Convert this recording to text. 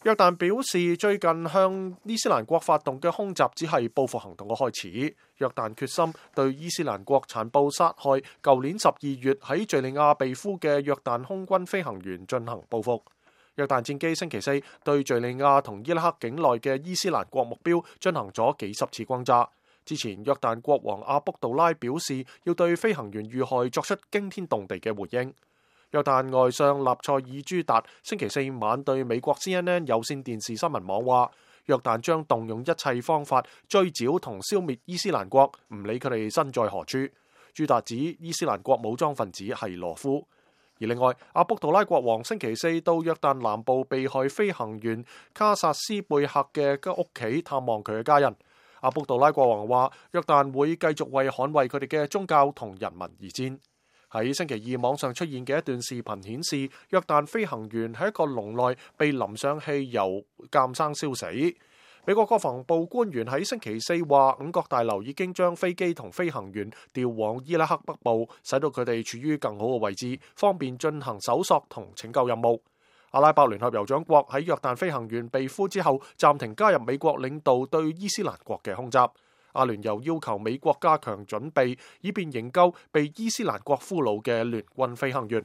約旦表示，最近向伊斯蘭國發動嘅空襲只係報復行動嘅開始。約旦決心對伊斯蘭國殘暴殺害舊年12月喺敘利亞被俘嘅約旦空軍飛行員進行報復。約旦戰機星期四對敘利亞同伊拉克境內嘅伊斯蘭國目標進行咗幾十次轟炸。之前約旦國王阿卜杜拉表示要對飛行員遇害作出驚天動地嘅回應。約旦外相納賽爾朱達星期四晚對美國 CNN 有線電視新聞網話，約旦將動用一切方法追剿同消滅伊斯蘭國，唔理佢哋身在何處。朱達指伊斯蘭國武裝分子係羅夫。而另外，阿卜杜拉國王星期四到約旦南部被害飛行員卡薩斯貝克嘅屋企探望佢嘅家人。阿卜杜拉國王話，約旦會繼續為捍衛佢哋嘅宗教同人民而戰。喺星期二網上出現嘅一段視頻顯示，約旦飛行員喺一個籠內被淋上汽油，監生燒死。美國國防部官員喺星期四話，五角大樓已經將飛機同飛行員調往伊拉克北部，使到佢哋處於更好嘅位置，方便進行搜索同拯救任務。阿拉伯聯合酋長國喺約旦飛行員被俘之後，暫停加入美國領導對伊斯蘭國嘅空襲。阿聯又要求美國加強準備，以便營救被伊斯蘭國俘虜嘅聯軍飛行員。